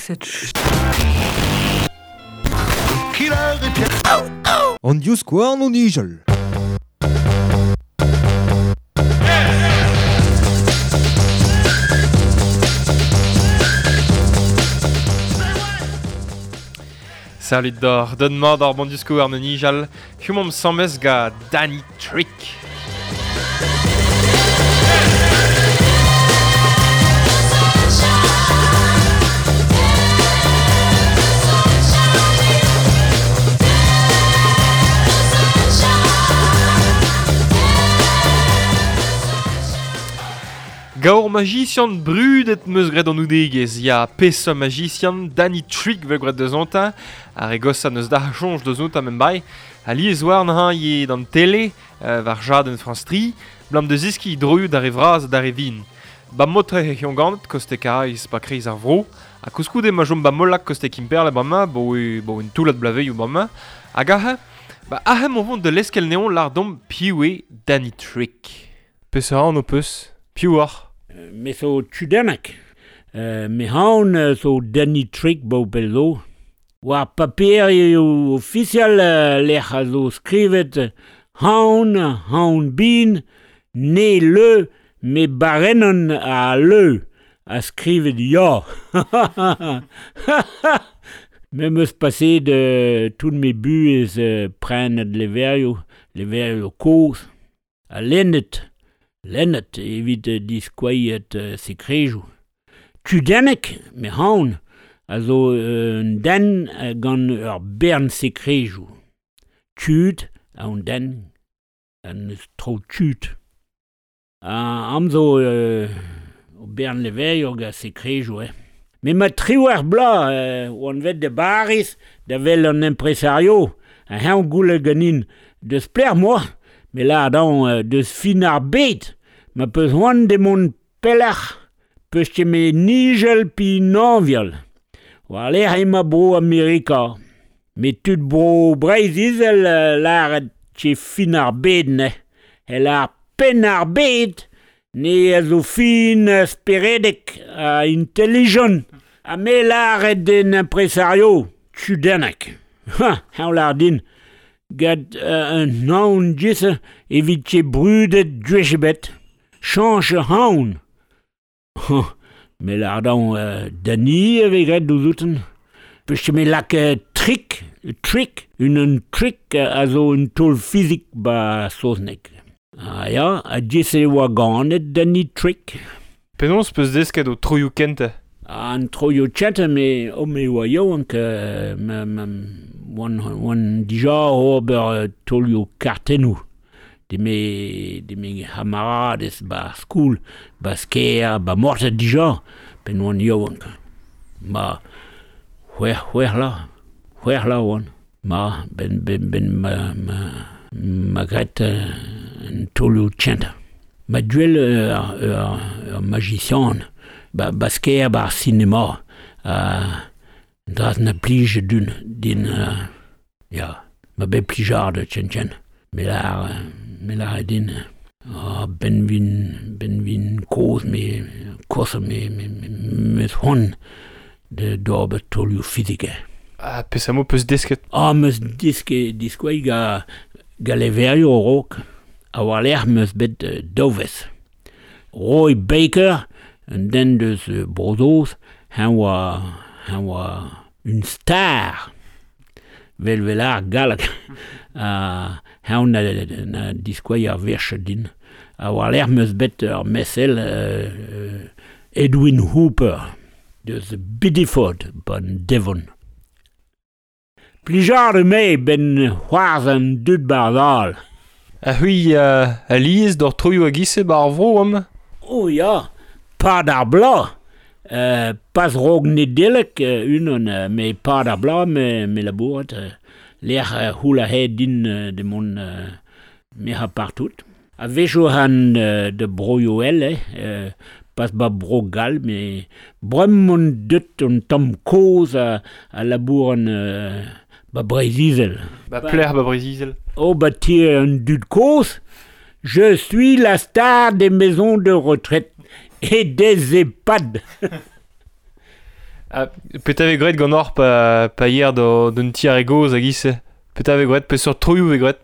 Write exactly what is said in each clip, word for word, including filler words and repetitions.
Cette An divskouarn o nijal. Salut d'or, don mat ar bon divskouarn o nijal, humomp samez ga Danny Trick. Gaur magician brudet meus graet an oudegez, ya peseurt magician Danny Trick vel graet deus ontañ, ar e gosa neus da choñj deus ontañ mem bai, a liez war n'hañ ye d'an tele, euh, war jadenn France tri, blam deus iski droioù d'ar e vraz d'ar e vin. Ba motre e c'hion ganet koste Karaez pa kreiz ar vro, ha koulskoude ma chom ba Molac koste Kemperle bremañ, bo e, bo un toullad blaveioù bremañ, hag aze, ba aze m'on vont de leskel neon lar domp piv eo Danny Trick. Peseurt anv peus? Piv oc'h? Me zo tudennek. Euh, me haon zo Danny Trick bo bello. War paper eo ofisial lec'h a zo skrivet haon, haon bin, ne le, me barennon a le, a skrivet ya. Me meus passé de tout mes buez euh, prenet leverioù, leverioù kozh, a lennet. Lennet evit diskouezet uh, sekrejoù. Tudennek, me haon, a zo un den gant ur bern sekrejoù. Tud a un den, an eus tro tud. A am zo euh, o bern leverioù ga sekrejoù, eh. Me ma triwec'h bloaz euh, oan vet de Baris da vel an impresario, a heñ goulet ganin deus plec'h moa. Me la dañ euh, deus fin ar bed, ma peus oan de mont pelec'h, peus ket me nijel pi nañvial. War lec'h ema bro Amerika. Me tud bro Breizh-Izel euh, lâret che fin ar bed ne. El ar penn ar bed, ne a zo fin speredek a intelligent. Ha me lâret den impresario, tudennek. Ha, heñ lâr din. Gant euh, un haon disse evit che brudet dwech Chanch haon. Me lâr dañ euh, Danny eve graet douzouten. Peus me lak euh, trick, trick, un un trick a zo un taol fizik ba saozneg. Ah ya, a disse e oa ganet Danny Trick. Penaos peus desket o troioù kentañ? An troioù kentañ me o me oa yaouank euh, ma, ma, oan, oan dija ober taolioù kartennoù. De me, de me c'hamarades ba skool, ba Skaer, ba Mortet dija, pen oan yaouank. Ma c'hwec'h, c'hwec'h la, c'hwec'h la oan. Ma, ben, ben, ben ma, ma, ma graet un taolioù kentañ. Ma duel ur, ur, ur magician, ba, ba Skaer, ba ar sinema, uh, draz na plij dun, din, uh, ya, ma bet plijade chen chen. Me lar, me lar din, oh, ben vin, ben vin kozh, me, kozh, me, me, me, me c'hoant de d'ober taolioù fizik. Ah, peseurt mod peus desket? Ah, meus desket diskouez ga, ga leverioù a-raok. A war-lerc'h meus bet uh, daou wezh. Roy Baker, un den deus uh, Bro-Saoz, heñ oa, heñ oa un star. Vel vel ar galleg. Ha heñ na, na diskouez ar wech din. A war-lerc'h meus bet ur mesel euh, Edwin Hooper deus Bideford ban Devon. Plijar me ben c'hoarzh an dud barzhal. A c'hwi euh, a liez d'or troioù a gise bar vro am? Oh ya, pad ar bloaz. Euh, pas rog Nedeleg euh, unan, euh, me pad ar bloaz me, me labourat. Euh, lec'h euh, c'houl a hed din euh, de mont euh, me ha partout. A wechoù han euh, de broioù el, eh, euh, pas ba bro gall, me brem mont deut un tamm kozh a, a labouran euh, ba Breizh-Izel. Ba plec'h ba Breizh-Izel. Oh, ba ti un dud kozh. Je suis la star des maisons de retraite et des EHPAD. Ah, petra vez graet gant or pa, pa yer d'un ti ar e goz hag ise? Petra vez graet, peseurt troioù vez graet?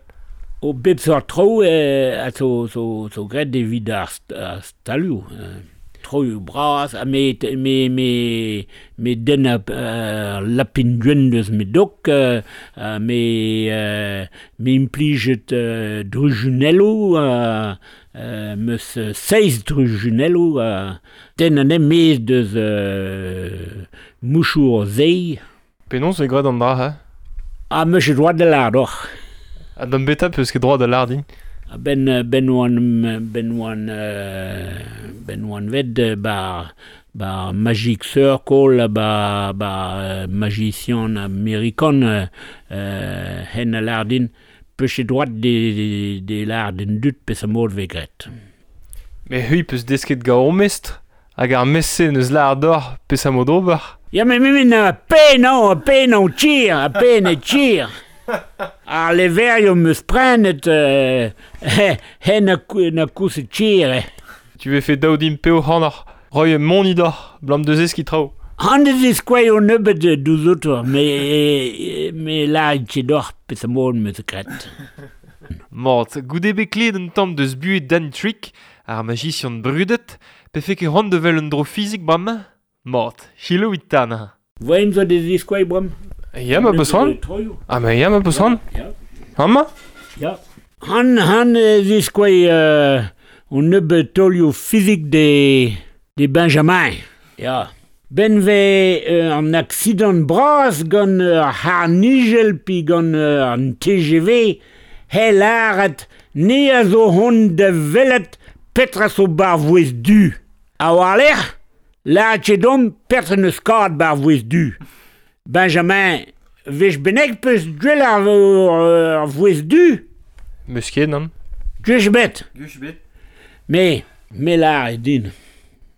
O bep seurt troioù eh, a zo, zo, zo graet evit ar, st ar stalioù. Eh. Troioù bras, ha me, me, me, me den a uh, lapin gwenn deus me dok, uh, me, uh, me implijet uh, drujunelloù, uh, uh, meus seizh drujunelloù, uh, den an emez deus uh, mouchour zei. Penaos e graet an dra, ha? Ah, meus ket droad da lâr doc'h. Ha d'an beta peus ket droad da lâr din? Ben, ben oan, ben oan, ben oan vet ba, ba Magic Circle, ba, ba magician amerikan, euh, hen a lâr din, peus ket droad de, de, de lâr din dud peus a mod vez graet. Mais hui peus desket gant o mestr, hag ar mestr-se neus lâr doc'h peus a mod ober. Ya, mais mais mais pe non, pe non tire, a pe ne tire. Ar leverioù meus prenet euh, hen a, na kous e tire. Tu vez fait daou din peo c'hanoc'h, roy mon idor, blam deus eski traoù. Han deus eskoai o nebeut douz otor, me, me lâr ket doc'h peus a mod meus graet. Mat, goude bet klevet un tamm deus buhez Dan Trick, ar magician brudet, pe fe ket c'hoant de vel un dro fizik bremañ? Mat, chilouit tan. Voen zo deus eskoai bremañ? Ya, ma peus c'hoant? Ah, mais ya, ma peus c'hoant? Ya. Amañ? Ya. Han, han ziskoai euh, on nebeut taolioù fizik de, de Benjamin. Ya. Ben ve euh, an aksidant bras gant ar c'harr-nijel pi gant euh, an T G V, he lâret ne a zo hon da welet petra zo bar vouez du. A war-lerc'h, lâret ket domp petra neus kad bar vouez du. Benjamin, vech bennek peus gwell ar, ar vouez du? Meus ket, nann. Gwech bet. Gwech bet. Me, me lâr e din.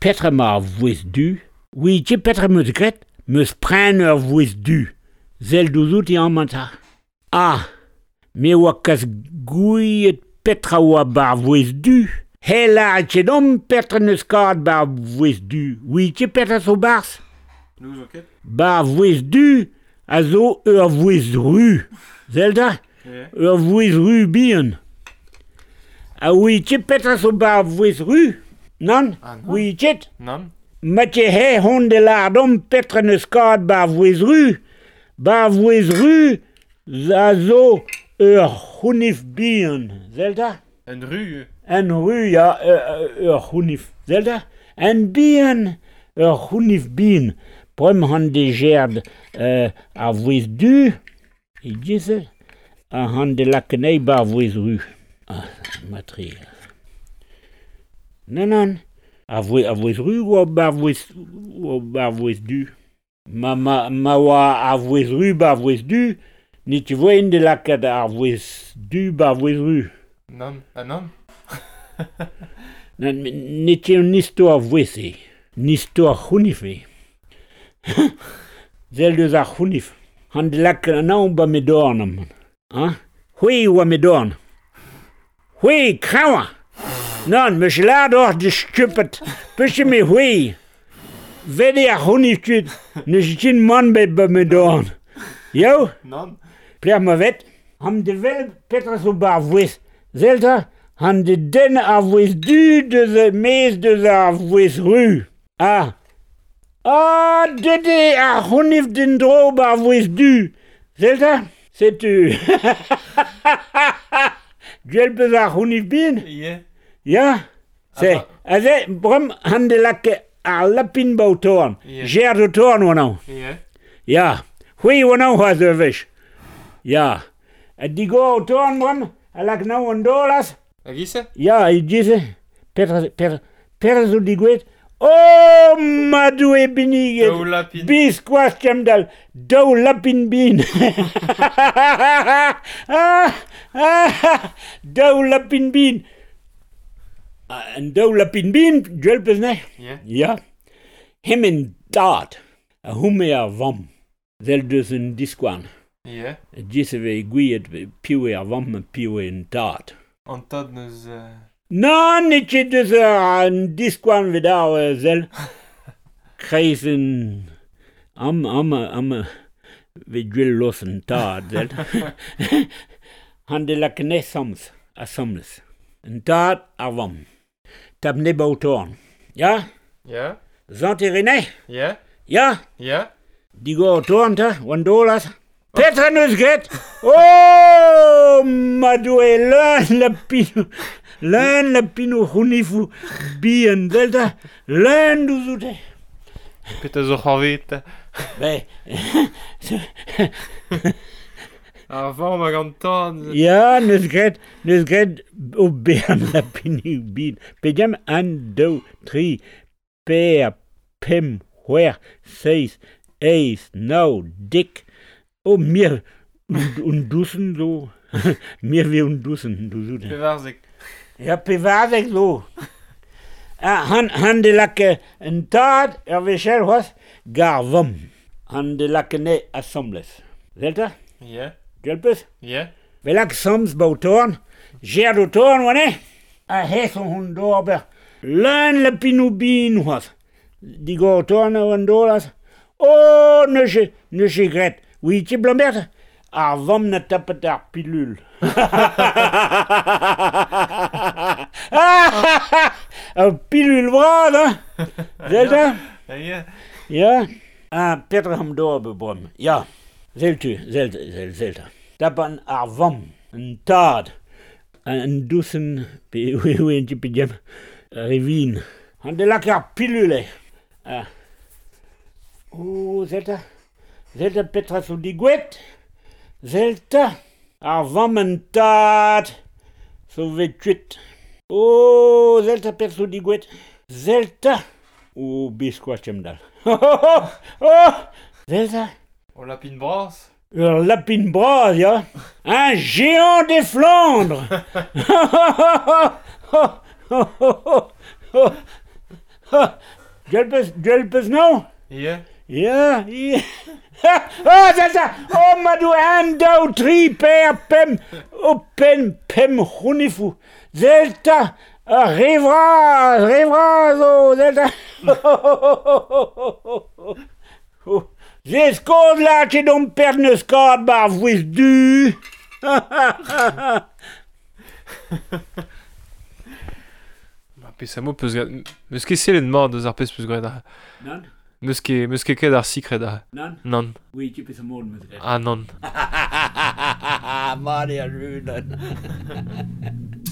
Petra ma ar vouez du? Oui, ket petra meus graet? Meus pren ur vouez du. Sell douzout e amañ ta. Ah, me oa kas gouiet petra oa bar vouez du. He lâret ket domp petra neus kad bar vouez du. Oui, ket petra zo barzh? N'ouzon ket. Bar vouez du a zo ur vouez ru. Zelda? Yeah. Ur vouez ru bihan. A oui ket petra zo bar vouez ru? Nann? Ah, nann. Oui ket? Nann. Ma ket he hon de lâr domp petra neus kad bar vouez ru. Bar vouez ru a zo ur c'hounif bihan. Zelda? Un ru? Un ru, ya, ur c'hounif. Zelda? Un bihan, ur c'hounif bihan. Brem han de gerd euh, ar vouez du, e gize, a han de lakenei bar vouez ru. Ah, matre. Nan, nan. Ar vouez, ar vouez ru oa bar vouez, oa bar vouez du. Ma, ma, ma oa ar vouez ru bar vouez du, ni tu voen de lakat ar vouez du bar vouez ru. Nan, ah nan. Nan, ne ti un istor vouez e. Un istor c'hounif e. Sell deus ar c'hounif. Han de lak an aon ba me dorn am. Hein? C'hwi oa me dorn. C'hwi, kraoñ. Nann, meus lâret oc'h de stupet. Peus me c'hwi. Vede ar c'hounif tud. Neus ket mann bet ba me dorn. Yo? Nann. Plec'h ma vet. Han de wel petra zo bar vouez. Zelta, han de den ar vouez du deus mez deus ar vouez ru. Ah. Ah, dede ar c'hounif din dro bar vouez du. Zelta? Setu. Gwell peus ar c'hounif bin? Yeah. Ya? Se. Aze, brem han de lak ar lapin ba o torn. Yeah. Gerd o torn oa naon. Yeah. Ya. C'hwi oa naon c'hoazh ur wech. Ya. A digor o torn brem, a lak naon an dolaz. Hag ise? Ya, e gize. Petra, petra, petra zo digouet? Oh, ma doue biniget. Daou lapin. Biskoazh kemdal, daou lapin bin. ah, ah, daou lapin bin. An daou lapin bin, gwell peus ne? Yeah. Ya. Hemen dad, a houme ar vamm, zel deus un diskouarn. Yeah. Giz e vez gouiet piv eo ar vamm ha piv eo an tad. An tad neus... Euh... Nann, n'eo ket deus an diskouarn vet ar sell. Kreiz un Am, am, am, ve gwell los an tad, zelt. Han de lak ne sams, asambles. An tad ar vamm. Tap ne ba o torn. Ya? Ya. Zant e rene? Ya. Ya? Ya. Digor o torn, ta, oan dolas. Petra neus graet? Oh, ma doe leun la pino, leun la pino c'hounifou bihan, zelta, leun douzoute. Petra zo c'hoarvet? Be. Ar vamm hag an tad. Ya, neus graet, neus graet o bihan la pino bihan. Pediam, un, daou, tri, per, pemp, c'hwec'h, seizh, eizh, nav, dek. Oh, mir, un dousen zo. Mir vi un dousen, douzout. Pevarzek. Ya, pevarzek zo. Ah, han, han de lak un tad, ur wechel c'hoazh, gar vamm. Han de lak ne asambles. Zelta? Ya. Gwell peus? Ya. Ve lak sams ba o torn, gerd o torn, oa ne? A hes on hon d'ober. Leun la pinou bin c'hoazh. Digor o torn oan dolaz. Oh, neus neus graet. Oui, ti blambert, ar vamm na tapet ar pilul. Ar pilul bras, hein? Zelta? Ya. Ya. Ah, petra am d'ober bebom. Ya. Zeltu, zelt, zelt, zelta. Tapan ar vamm, an tad, an dousen, pe oui, oui, un petit peu diam, revin. An de lak ar pilule. Ah. Oh, zelta. Zelta petra zo digouet, zelta ar vamm an tad zo vet kuit. Oh, zelta petra zo digouet, zelta. Oh, biskoaz kem dal. Oh, oh, zelta. O lapin bras. Ur lapin bras, ya. Un géant des Flandres. Gwell peus, gwell peus naon? Ya. Ya, ya. Oh, zelta! Oh, ma doe un, daou, tri, per, pemp, oh, pen, pemp c'hounifou. Zelta! Ar re vras, re vras, oh, zelta! Oh, ze skod la ket on perd neus kad bar vouez du. Ma pes a mo peus graet... Meus ket sellet mat deus ar pezh peus graet ar... Nann? Meus ket, meus ket ket ar sikred ar... Nann? Nann. Oui, tu peus a mod meus graet. Ah, nann. Mat eo ar judenn. Thank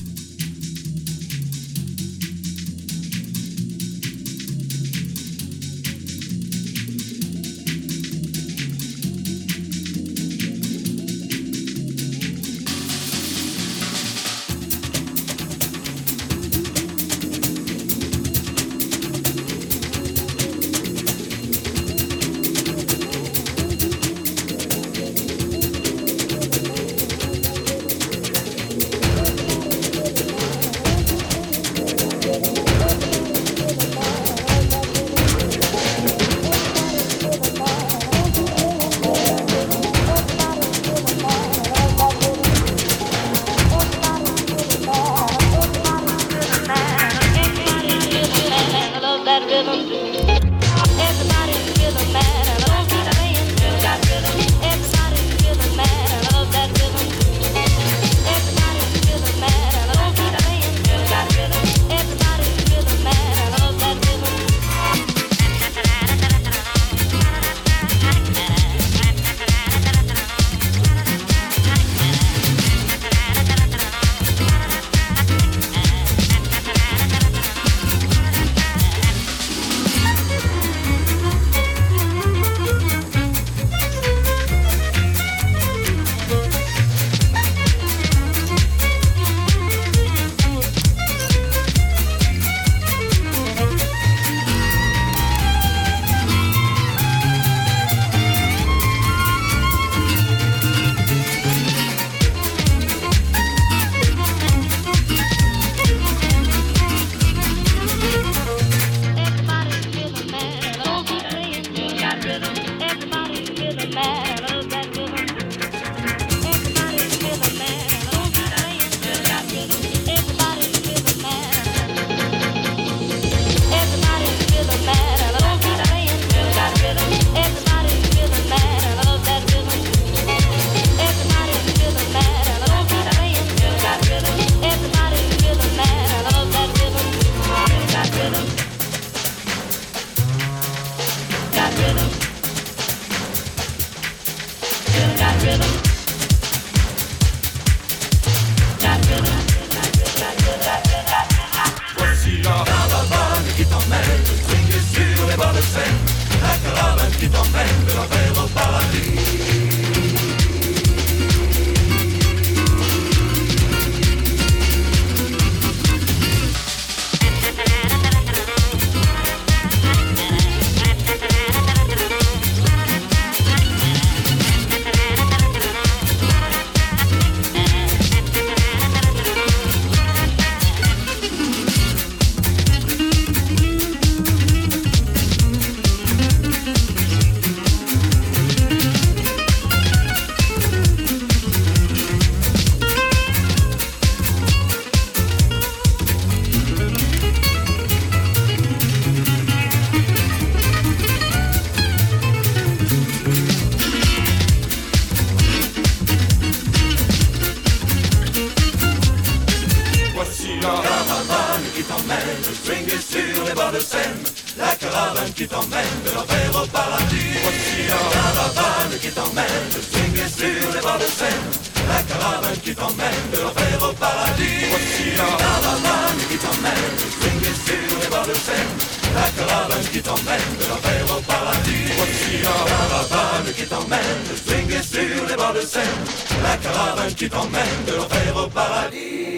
qui t'emmène swinguer sur les bords de Seine. La caravane qui t'emmène de l'enfer au paradis. Voici la caravane qui t'emmène swinguer sur les bords de Seine. La caravane qui t'emmène de l'enfer au paradis. Voici la caravane qui t'emmène swinguer sur les bords de Seine. La caravane qui t'emmène de l'enfer au paradis. Voici la caravane qui t'emmène swinguer sur les bords de Seine. La caravane qui t'emmène de l'enfer au paradis.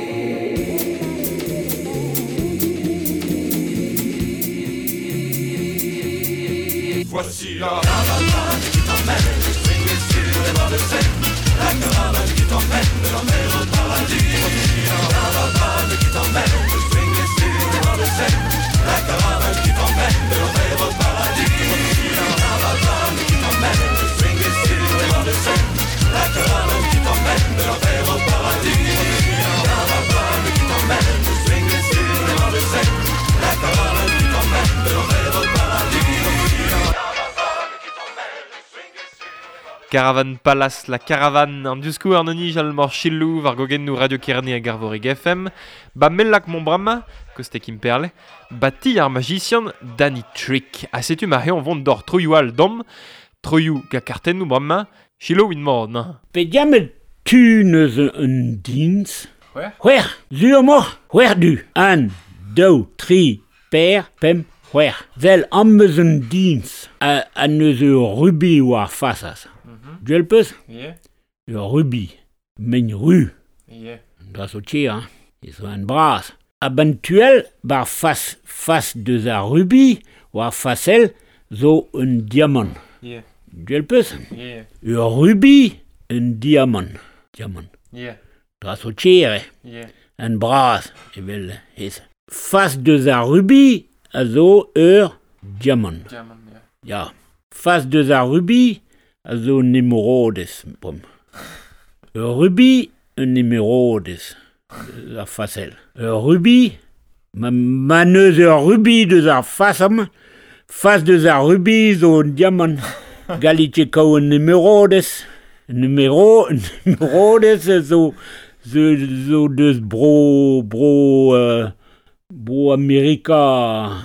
Voici la caravane qui t'emmène swinguer sur les bords de Seine. La caravane qui t'emmène de l'enfer au paradis. Voici la caravane qui t'emmène swinguer sur les bords de Seine. La caravane qui t'emmène de l'enfer au paradis. Voici la caravane qui t'emmène swinguer sur les bords de Seine. La caravane qui t'emmène de l'enfer au paradis. Voici la caravane qui t'emmène swinguer sur les bords de Seine. La caravane qui t'emmène de l'enfer au paradis. Caravan Palace, la caravane, an diouzkou ar nonij al mor chilou war gogennou Radio Kerne hag Arvorig F M, ba mellak mon brama, koste Quimperle, ba ti ar magician Danny Trick. Ha setu ma heon vont d'or troioù al dom, troioù ga kartennou brama, chilou in mor, nan. Pe diamet tu neus un dins? C'hwec'h, zu mor, c'hwec'h du. An, daou, tri, per, pemp, c'hwec'h. Vel am eus un dins, a, a neus ur rubi war fasas. Duel peus? Yeah. Ur rubi, men ru. Yeah. Dra zo tche, hein. E zo an bras. A ban tuel, bar fas, fas deus ar rubi, war fasel, zo un diamant. Yeah. Duel peus? Yeah. Ur rubi, un diamant. Diamant. Yeah. Dra zo tche, eh. Yeah. An bras, evel hez. Fas deus ar rubi, a zo ur diamant. Diamant, yeah. Ya. Fas deus ar rubi, a zo un émeraudes, bom. Ur rubis, un émeraudes, ar fasel. Ur rubis, ma, ma neus ur rubis deus ar fasam, fas deus ar rubis zo un diamant. Galite kao un émeraudes, un émero, un émeraudes zo, zo, zo deus bro, bro, euh, bro Amerika,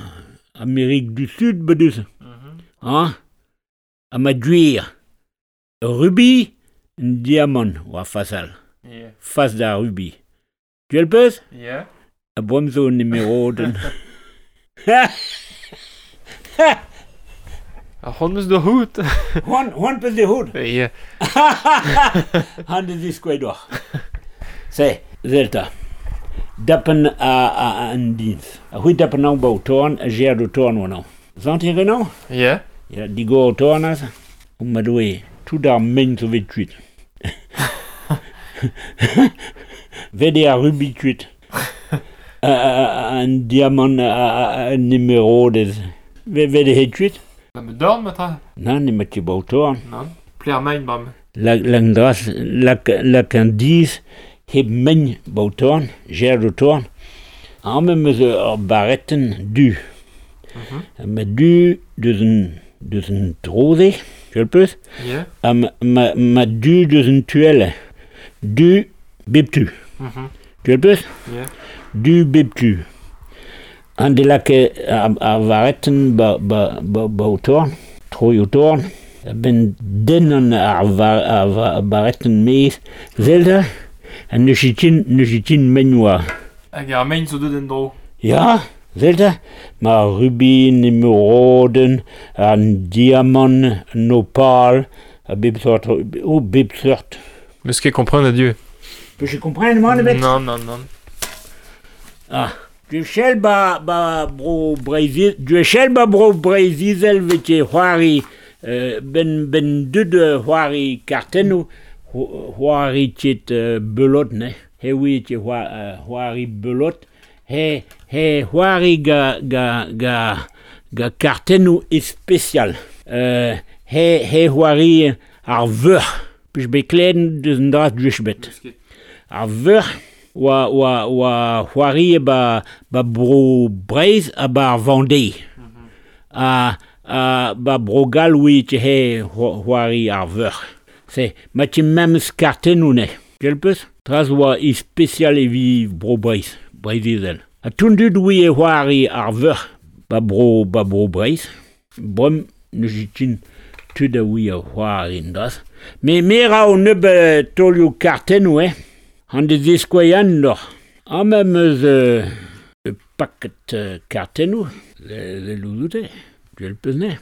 Amérique du Sud, bedeus. Mm-hmm. Hein? A ma duir. Rubis, un diamant, war fasal. Yeah. Fas da rubis. Tu el peus? Yeah. A bom zo un émeraude. Ar c'hont eus da hout. C'hoant, c'hoant peus de hout. Yeah. Han de ziskoe doc'h. Se, zelta. Dapen a, a, an dins. A c'hwi dapen an ba o torn, a ger do torn oan an. Zant e renan? Yeah. Ya, digor o torn az. O ma doe, tout ar men zo vet kuit. Vet e ar rubi kuit. An diamant, an émeraude. Vet e het kuit? Na me dorn, ma tra? Nan, ne ma ket ba o torn. Nan. Ple ar main, bram. Lak dras, lak, lak an diz, heb men ba o torn, ger do torn. An me meus ur baretten du. Mm-hmm. Ma du deus un, deus un troze, tu el peus? Yeah. Ha ma, ma, ma du deus un tuelle. Du bep tu. Mm-hmm. Tu el peus? Yeah. Du bep tu. An de lak ar, ar varetten ba, ba, ba, ba o torn, troi o torn. A ben den an ar, var, ar, ar baretten mez, zelda, ha neus itin, neus itin men oa. Hag ar mein zo deut en dro. Ya, zelda, ma rubin, émeraude, an diamant, an opal, a bep sort, o bep sort. Meus ket kompren a dieu. Peus ket kompren, man ebet? Non, non, non. Ah, du chel ba, ba bro Breiz, du chel ba bro Breiz-Izel vete c'hoari, euh, ben, ben deud c'hoari kartennou, c'hoari ket euh, belot, ne? He oui ket c'hoari belot, he, he c'hoari ga, ga, ga, ga kartennou especial. Euh, he, he c'hoari ar veur, pej bet klen deus an dra duech bet. Ar veur, oa, oa, oa c'hoari ba, ba bro Breiz ha ba ar Vendée. Mm-hmm. A, a ba bro Gall oui te he c'hoari ar veur. Se, ma ti memes kartennou ne. Quel peus? Tras oa ispecial evi bro Breiz, Breiz-Izel. A tout dud oui e c'hoari ar veur ba bro, ba bro Breizh. Brem ne jitin tud a oui a c'hoari dras. Me me ra o neub taolioù kartennoù, eh. An de ziskoaian doc'h. Am em eus euh, paket euh, kartennoù, le, le louzoute, duel peus ne.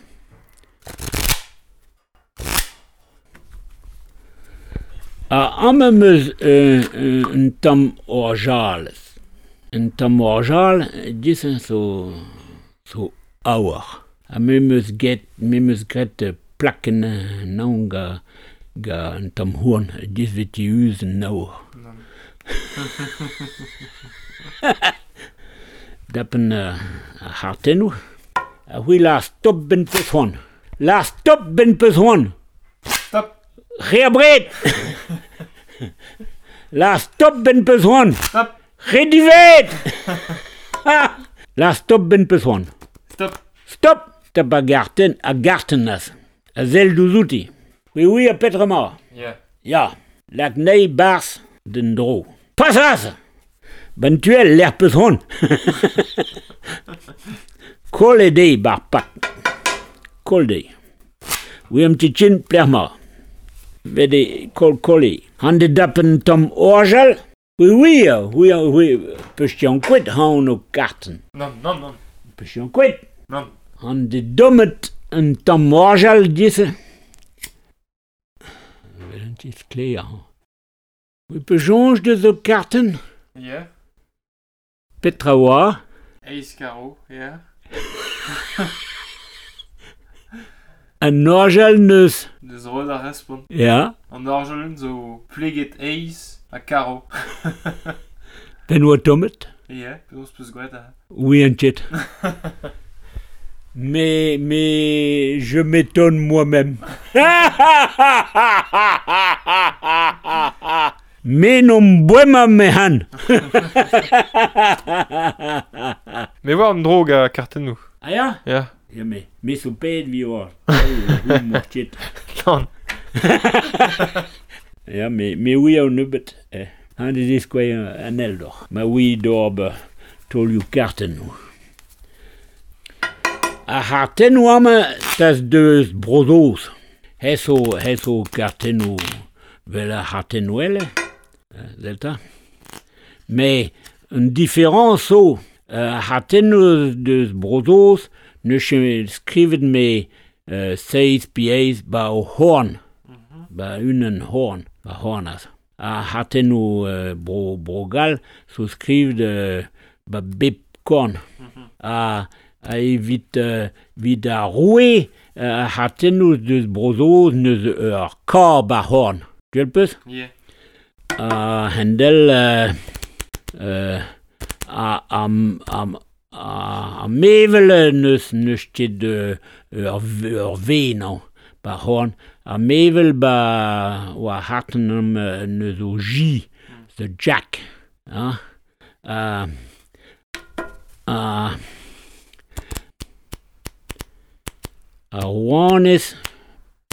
A am em eus euh, un tamm orjalez. Un tamm orjal, disen zo, zo aour. Ha me meus get, me meus gret plaken naon ga, ga un tamm houarn, dis veti uz un aour. Dapen uh, ar c'hartennoù. A c'hwi la stop ben peus c'hoant. La stop ben peus c'hoant. Stop. Re abred. La stop ben peus c'hoant. Stop. Re divet. La stop ben peus c'hoant. Stop. Stop. Stop a garten, a garten az. A zel douzouti. Oui, oui, a petra ma. Yeah. Ya. Lak nei bars den dro. Pas az. Ben tuel l'er peus c'hoant. Kol e dei bar pak. Kol dei. Oui, am tichin pler ma. Vede kol kol e. Han de dapen tom orjal. Oui, oui, oui, oui, peus ti an kouet han o karten. Non, non, non. Peus ti an kouet. Non. Han de dommet un tamm orjal dise. Vel un tis kler. Oui, peus jonge de zo karten. Yeah. Petra oa. Eiz karo, yeah. An orjal neus. Deus roet ar respont. Ya. An orjal zo pleget eiz ha karo. Ben oa tommet. Yeah, penaos peus gwet a. Oui, un tchet. Mais, mais, je m'étonne moi-même. Me n'om boema mehan. Me oa an dro ga kartennoù. Ah ya? Ya. Ya, me, me so ped vi oa. Non. Ya, me, me oui a neubet. Eh. Han de diskoe an eldor. Ma oui d'orb taolioù kartennoù. Ar c'hartennoù amañ tas deus Bro-Saoz. Hez zo, hez zo kartennoù vel ar c'hartennoù elle, delta. Mais un différence zo, ar c'hartennoù deus Bro-Saoz ne ket skrivet me euh, seiz pi eiz ba o horn. Mm-hmm. Ba unan horn, ba horn az. Ar c'hartennoù euh, bro, Bro-Gall zo skrivet euh, ba bep korn. Mm-hmm. A, a evit, euh, evit ar roue, ar c'hartennoù deus Bro-Saoz neus ur kor ba horn. Duel peus? Yeah. A hendel euh, euh, a, a, a, a, a mevel neus neus ket ur, ur ve nañ ba horn. A mevel ba oa harten am neus o J, the Jack. Hein? A, a, a rouanez,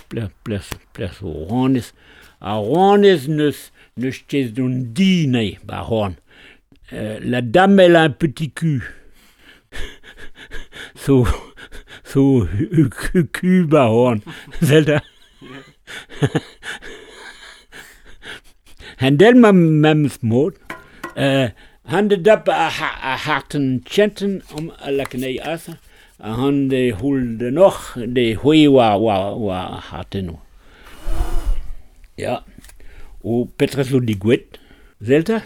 ples, ples, ples o rouanez, a rouanez neus, neus ket don di nei ba horn. Euh, la dame elle a un petit cul. So, so, cul ba horn. Zelda. Hendel ma mems mod. Euh, han de dap a, a harten chenten om a lakenei asa. A han de hul de noch de hui wa wa wa hartenno. Ja. O petra zo di gwet. Zelta?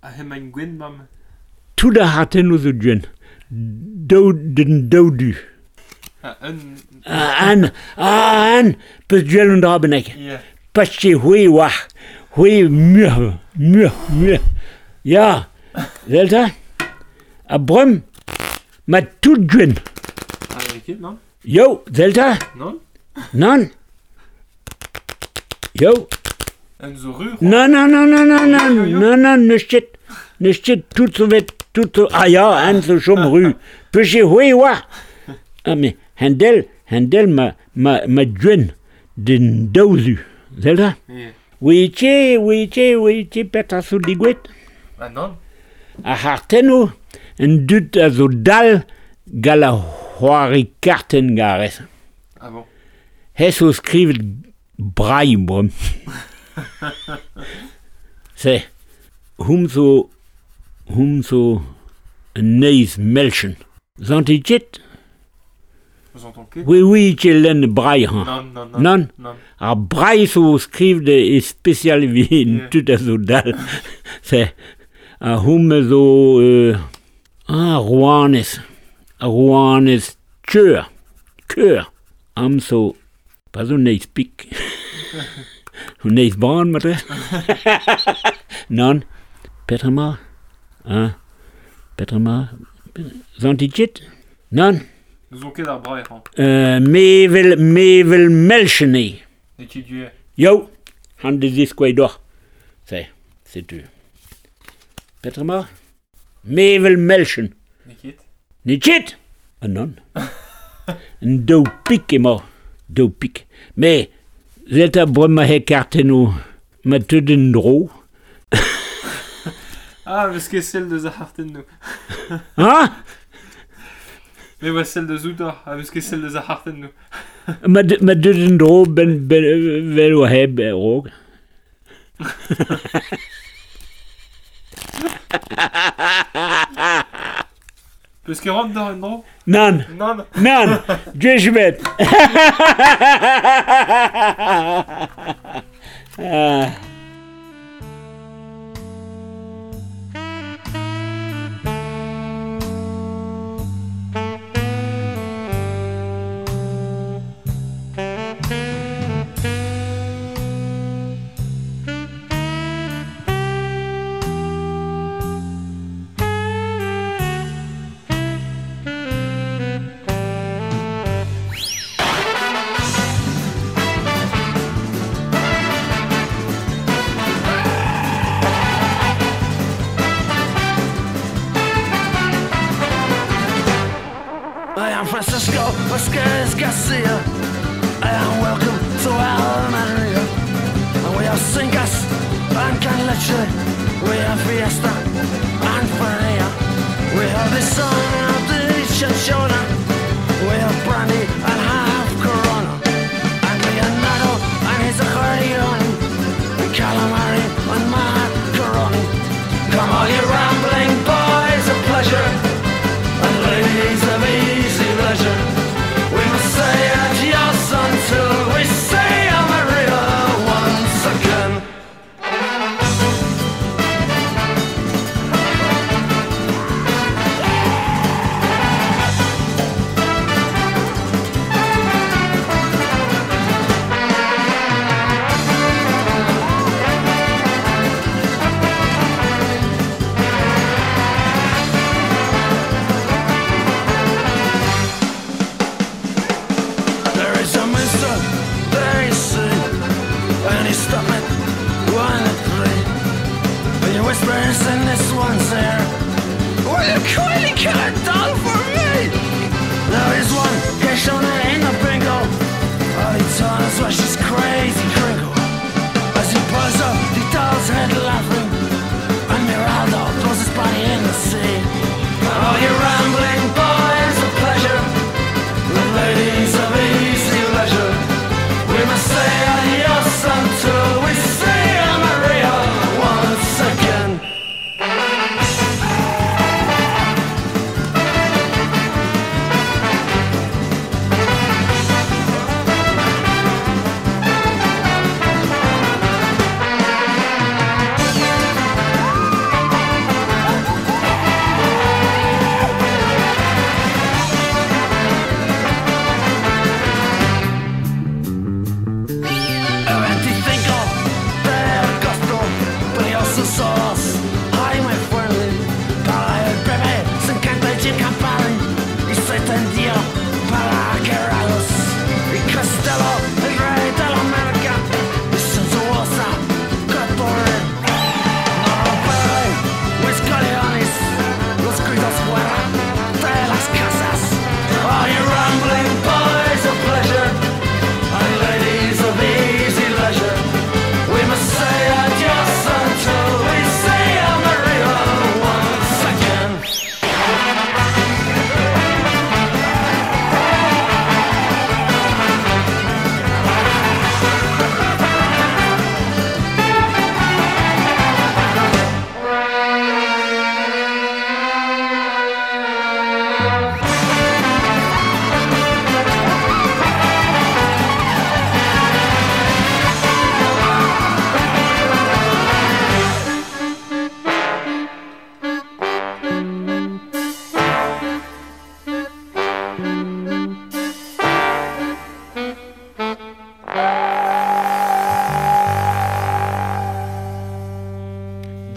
A hemañ gwen mam. Tout a hartenno zo gwen. Daou den daou du. Ah, un... Ah, an, ah, an, peus duel un dra bennak. Yeah. Pas che hui wa. Hui mur, mur, mur. Ya, Zelta? A brem, ma tout gwen. Ah, ket, non? Yo, Zelta? Non? Non? Yo. Un zo ru? Non, non, non, non, non, non, non, non, neus ket, neus ket tout zo vet, tout zo, ah ya, an zo chom ru. Peus che hui wa. Ah, mais hendel, hendel ma, ma, ma gwen den daou zu. Zelta? Yeah. Oui, tche, oui, tche, oui, tche, petra zo digouet. Ah, non? Ar c'hartennoù Un dud a zo dal gal a c'hoari karten garez. Ah bon. Hez zo skrivet brailh brom. Se, hum zo, hum zo un neiz melchen. Zant ket? Zantan ket? Oui, oui, ket lenn brailh. Non, non, non. Non? Non. Ar brailh zo skrivet e spesial evit Yeah. tud a zo dal. Se, a hum zo euh, ah, rouanez. A rouanez keur. Keur. Am zo, pas zo neiz pik. Un neiz ban, matre. Non. Petra ma? Ah. Petra ma? Zant ket? Non. Nous ket ar brailh, hañ. Euh, mevel, mevel melchen eo. Ne ket du Yo, han de ziskoei doc'h. Se, setu. Petra ma? Mevel melchen. Ne ket? Ne ket? Ah non. Un daou pik emañ. Daou pik. Me, zet a bremañ he kartennoù ma teut en dro. Ah, meus ket sell deus ar c'hartennoù. Ha? Me oa sell deus outor, ha meus ket sell deus ar c'hartennoù. Ma, ma deut en dro ben, ben, vel oa heb rog. Peus ket ran d'ar en dro? Nan, Nan. nan, gwech bet. Ah. I am Francisco Vasquez Garcia. I am welcome to Almeria. And we have Cingas and Canleche. We have Fiesta and Feria. We have the son of the Chanchona. We have Brandy and half Corona. And Leonardo and his accordion. And Calamari and Macaroni. Come all you rambling boys of pleasure. And ladies of easy leisure, we must say adios until we see Maria once again.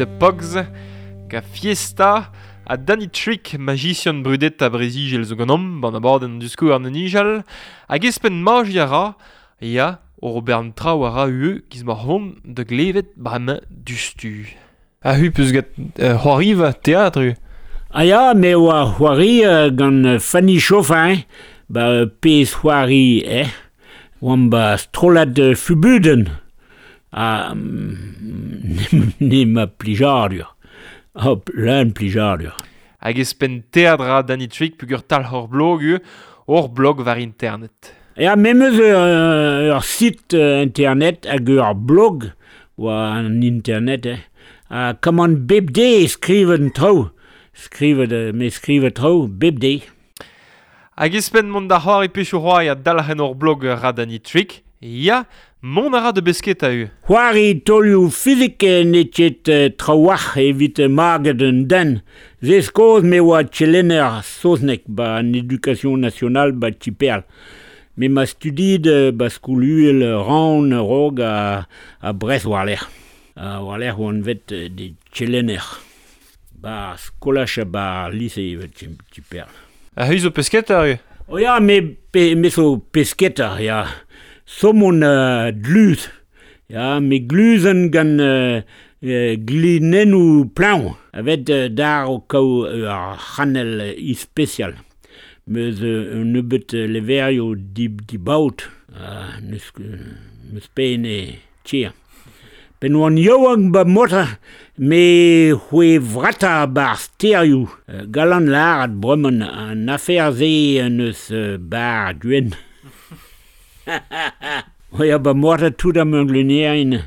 The Pogs, ga Fiesta, a Danny Trick, magician brudet a brezigel zo ganom, ban abadenn du skour an nijal, hag espen magi a ra, ya, o bern traoù a ra ue, giz ma hon de glevet bremañ dustu. A hu peus get euh, c'hoariva teatr u? Ah ya, me oa c'hoari euh, gant Fanny Chauffin, ba pezh c'hoari, eh? Oan ba strollad euh, fubuden. Ah, ne ma plijadur. Hop, leun plijadur. Hag espen teatr a Danny Trick pugur tal hor blog u, hor blog war internet. Ya, me meus ur, ur site internet hag ur blog war an internet, eh. Ha kamant bep de skrivet traoù. Skrivet, me skrivet traoù bep de. Hag espen mont da c'hoari pechoù c'hoari a dalc'hen hor blog ra Danny Trick, ya, mont a ra de besketa u. C'hoari taolioù fizik n'eo ket trawalc'h evit maget un den. Se skoz me oa tchelenner saozneg ba an Education Nationale ba Tiperl. Me ma studiet ba skol-uhel Rouen rog a, a Brest war-lerc'h. A war-lerc'h oan vet de tchelenner. Ba skolaj ha ba lise evet Tiperl. A hu zo pesketa u? O ya, me, pe, me zo pesketa, ya. Somon uh, dluz. Ya, me gluzen gant uh, uh, glinennoù plañv. Evet uh, dar o kaou ur uh, c'hanell uh, ispecial. Meus uh, un nebeut uh, leverioù di, dibaot. Uh, neus, meus pene tier. Pen oan yaouank ba mota, me c'hwe vrata bar sterioù. Uh, galant lâret bremañ an afer se neus uh, bar gwenn. O ya ba mota tout am glunerien.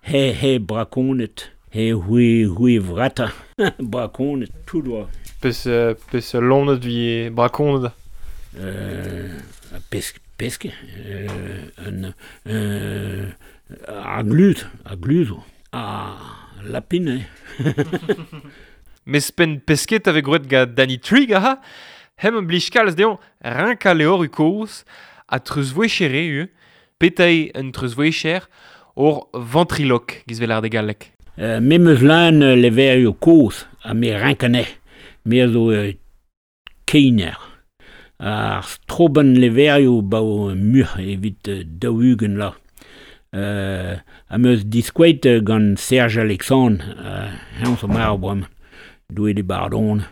He he brakonet. He c'hwe c'hwe vrata. Brakonet tout oa. Pes euh, pes lonet vi brakonet. Euh, pesk pesk euh, un euh, a glud, a gluzo, a lapin, eh. Mes pen pesket ave groet ga Danny Trigg, aha, hem an blij kalz deomp rinka leor u koz, a treuzvouechere u, petei un treuzvouecher, or ventriloque, giz vel ar de gallek. Euh, me meus lan leverioù koz, ha me rinkane, me a zo euh, keiner. Ar stroban leverioù bao muc'h evit daou-ugent la. Euh, a meus diskouet gant Serge Alexandre, euh, heñ zo marv bremañ, doue de bardon.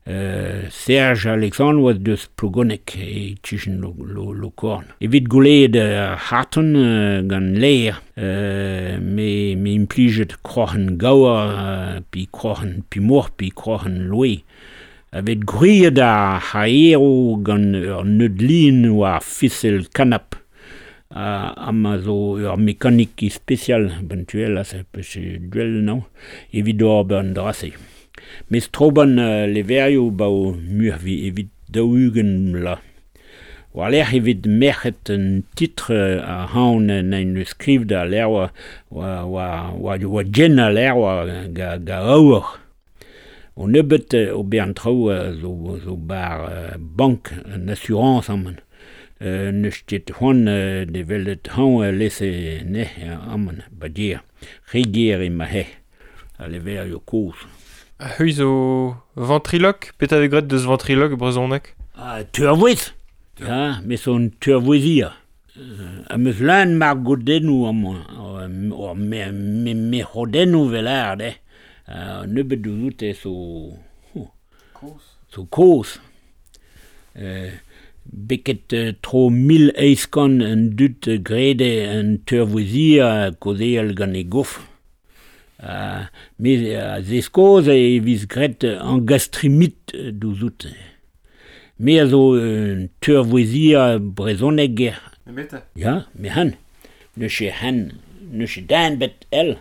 Euh, Serge Alexandre oa deus Plogoneg e kichen lo, lo, lo korn. Evit gouleet uh, harton uh, gant leer, euh, me, me implijet kroc'hen gaour, uh, pi kroc'hen pimor, pi kroc'hen loe. Evet gwriet ar c'haero gant ur neudlin war fisel kanap. Uh, ama zo ur mekanik ispecial, bentuel, a se peus duel non, evit ober an drase. Mes troban uh, leverioù bao muc'h vi evit daou-ugent la. War-lerc'h evit merc'het un titr a haon nain skriv da ler oa, oa, oa, oa, oa gen a ler oa ga, ga aour. O nebeut ober an traoù zo, zo bar uh, bank an assurance aman. Euh, neus ket c'hoant euh, de welet hañ euh, lese ne aman ba ger. Re ger ema he, a leverioù kozh. A hu zo ventriloque, petra vez graet deus ventriloque brezhoneg? Ah, teurvouez. Ya, me son teurvouezia. Euh, a meus lan mar godennoù amañ, or me, me, me c'hodennoù vel ard, eh. Uh, nebeut deus so... Oh, kozh. So kozh. Euh, Beket uh, tro mil eizh kant an dud grede an teurvouezia kaozeal gant e gof. Uh, me a zeskoz e viz graet an gastrimit douzout. Me a zo un teurvouezia brezhoneg. Nemete? Ya, me han. Neus e han, neus e dan bet el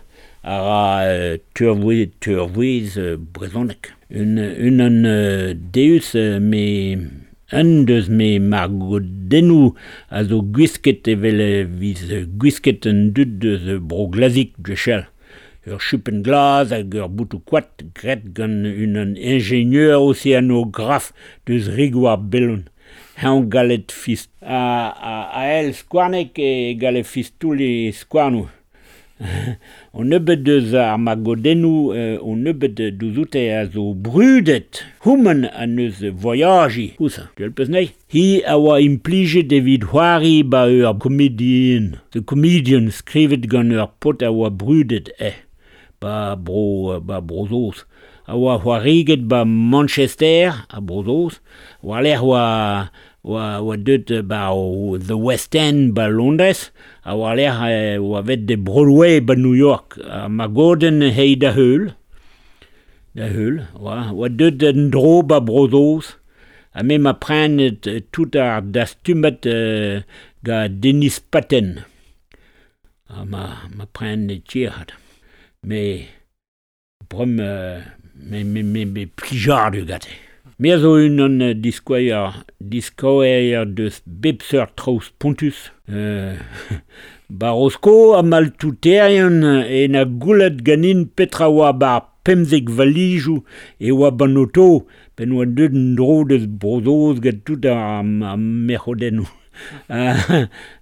a ra uh, teurvouez, teurvouez uh, brezhoneg. Un, un an uh, deus uh, me... Un deus me margodennoù a zo gwisket evel viz gwisket un dud deus bro glazik gwechall. Ur chupenn glas hag ur boutoù koad graet gant un an ingénieur océanographe deus Rigoar Bellon. Heñ galet fist. A, a, a el skouarnek e galet fistoul e skouarnoù. On nebeut deus ar magodennoù, euh, on nebeut douzoute a zo brudet. Houman an eus voyaji. Ousa, tu peus nei? Hi a oa implijet evit c'hoari ba ur komedien. The Comedian skrivet gant ur pot a oa brudet eh. Ba bro, ba brozoz. A oa c'hoariget ba Manchester, a brozoz. War lec'h oa... oa, oa deut ba o The West End ba Londres, a oa lec'h oa vet de Broadway ba New York. A ma goden hei da heul, da heul, oa, oa deut en dro ba Brozoz, a me ma prenet tout ar dastumet euh, ga Denis Patten. A ma, ma prenet tierhat. Me, brom, euh, me, me, me, me plijardu gate. Me a zo un an diskoer, diskoer deus bep seurt traoù spontus. Euh, Barosko a maltouterien e na goulet ganin petra oa bar pemzek valijou e oa ban oto, pen oa deut an dro deus brozoz gant tout ar, ar merc'hodennoù. A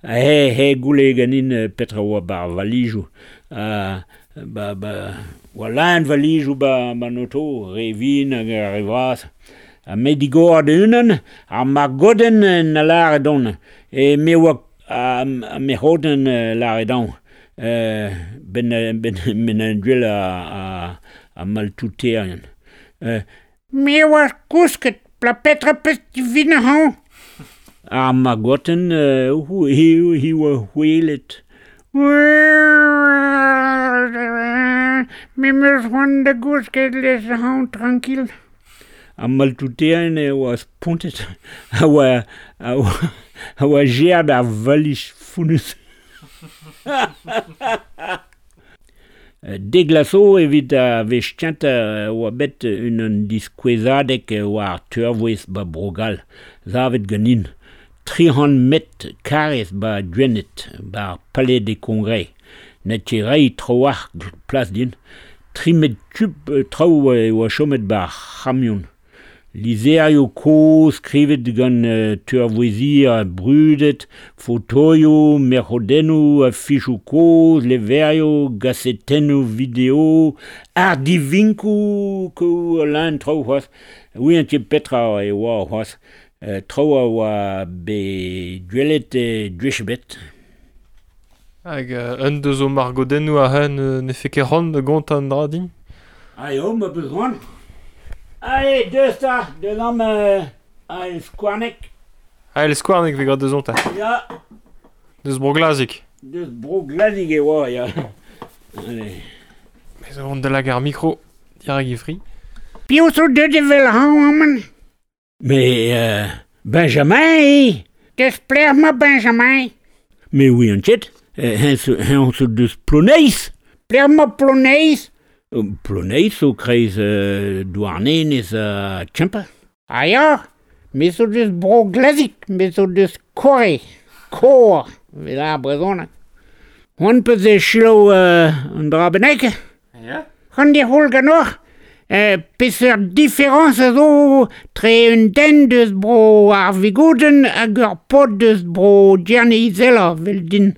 he, he goule ganin petra oa bar valijou. A, ba, ba, oa lan valijou ba ban oto, re vin hag ar re vras. A me digor de unan, ar margoden na lare don. E me oa a, a me c'hoden lare don. Euh, ben, ben, ben an duel a, a, a maltouterien. Euh, me oa kousket, pla petra peus divin hañ. Ar margoten, euh, hi, hi oa hwelet. Me meus c'hoant da gousket les hañ tranquille. A maltouterien e oa spontet, a oa, a oa, a oa gerd ar valich founus. Deglaso evit a vechtiant oa bet un an diskouezadek oa ar teurvouez ba Brogal, zavet ganin. tri c'hant met karez ba Gwened, ba ar Palais des Congrès. Net ket rei tro-war plas din. Tri met tub traoù e oa chomet ba ar c'hamion. Lizerioù kozh skrivet gant uh, teurvouezir brudet, fotoioù, merc'hodennoù, afichoù kozh, leverioù, gazetennoù video, ardivinkoù kou lan traoù c'hoazh. Oui, an ket petra e oa c'hoazh. Uh, traoù a oa be gwelet e gwech bet. Hag uh, un deus o margodennoù a hen euh, ne fe ket c'hoant da gontañ an dra din? Ah eo, ma beus c'hoant. Allez, deus ta, deus am euh, ael skouarnek. Ael skouarnek vez graet deus onta. Ya. Deus bro Glazik. Deus bro Glazik e oa, ya. Allez. Mais zo vont da lag ar mikro, dirag e fri. Piv zo deut evel hañ aman? Mais euh, Benjamin, eh? Deus plec'h ma Benjamin? Mais oui, an ket. Hen zo deus Ploneiz. Plec'h ma Ploneiz? Ploneiz zo kreiz euh, Douarnenez a Tchempa. Ah ya, me zo deus bro Glazik, me zo deus Kore, Kor, vel ar brezhoneg. C'hoant peus e selaou euh, an dra bennak? Ya. C'hoant di c'houl ganeoc'h? Euh, peseurt différence a zo tre un den deus bro ar Vigouden hag ur pod deus bro Gerne-Izela, vel din.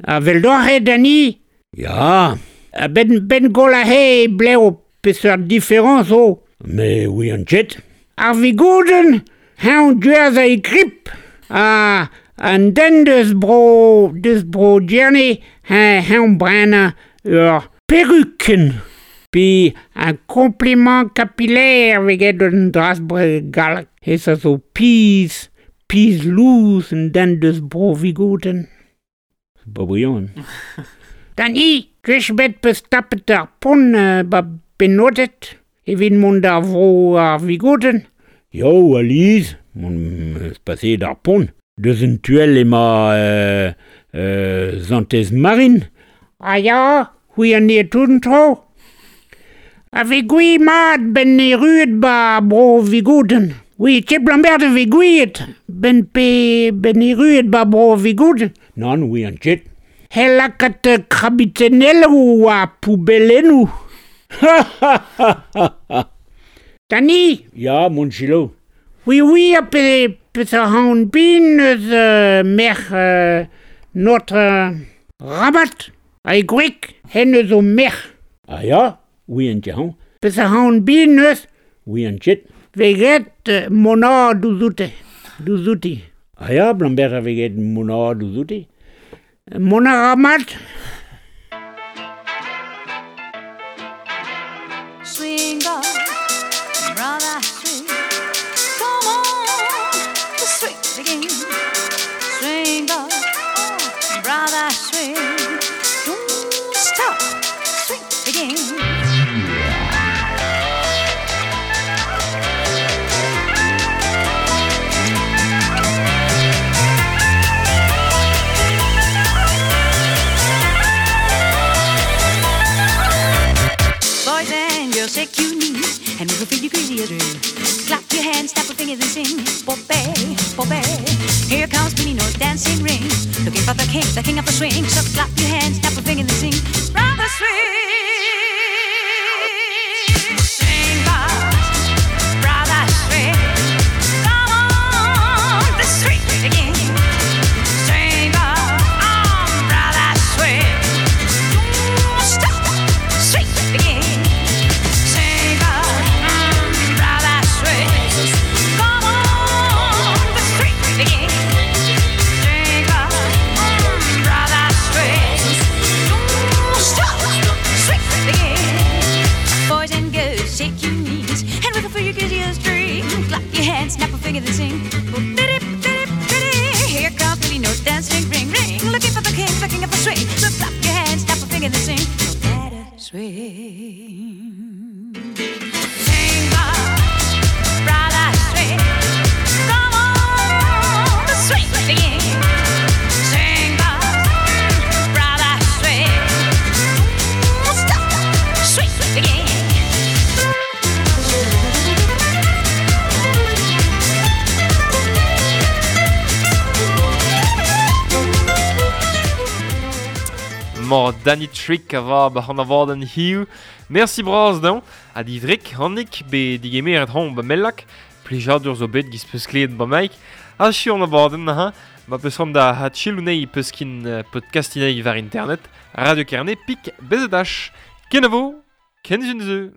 A vel doc'h eo Dani? Ya. A ben, ben gol a he bleo peseurt différence zo. Mais oui an ket. Ar Vigouden, hañ duaz a e grip. A an den deus bro, deus bro Gerne, hañ hañ brena ur peruken. Puis un compliment capillaire veget un dras bre galak. Hes a zo piz, piz louz an den deus bro Vigouden. Ba brillant. Dani, gwech bet peus tapet ar pont euh, ba benodet, evit mont ar vro ar Vigouden. Yo, Aliz, mont eus paseet ar pont. Deus un tuel ema euh, euh, Zantez Marin. Ah ya, c'hwi an eo tout an tro. A ve gwi mat ben e ruet ba bro Vigouden. Oui, ket blambert a ve gwiet ben pe ben e ruet ba bro Vigouden. Non, oui an ket. He lakat krabitenelloù a poubellennoù. Dani? Ya, mon chilo. Oui, oui, a pe, pe a haon bin eus euh, merc'h euh, notre euh, rabat. A e gwreg, hen eus o merc'h. Ah ya, oui an tiañ. Peus a c'haon bin eus? Oui an tchet. Veget mona douzoute, douzouti. Ah ya, blamber a veget mona douzouti. Mona ramat. Swing up, brother, swing. Come on, the swing begin. Swing up, brother, swing. Don't stop, swing begin. Boys and girls, shake your knees and move your feet, you crazy as dream. Clap your hands, snap your fingers and sing. Popeye, Popeye. Here comes Billy Nose dancing ring. Looking for the king, the king of the swing. So clap your hands, snap your fingers and sing. Brother swing. Swing, brother swing. Come on, the swing again. Swing, on, brother swing. Don't stop, swing again. Swing, brother swing. Come on, the swing again. Swing, brother swing. Don't stop, swing again. Boys and girls, shake your knees and wiggle for your giddiest dream. Clap your hands, snap a finger and sing. Biddy, biddy, biddy. Here comes Billy Nose dancing, ring, ring. Looking for the king, the king of the swing. So clap your hands, snap a finger and sing. No better swing. Swing, brother, swing. Come on, the swing begin. Swing, brother, swing. Don't stop, swing begin. Mor Danny Trick a va ba an a an hiu. Merci braz daon. A di vrek, hannik, be digemer et hon ba mellak. Plijadur zo bet giz peus kleet ba maik. A chi an abadenn ha. Ma peus ran da ha chilunei peus kin podcastinei var internet. Radio Kerne pik bezedach. Kenavo, ken zun zeu.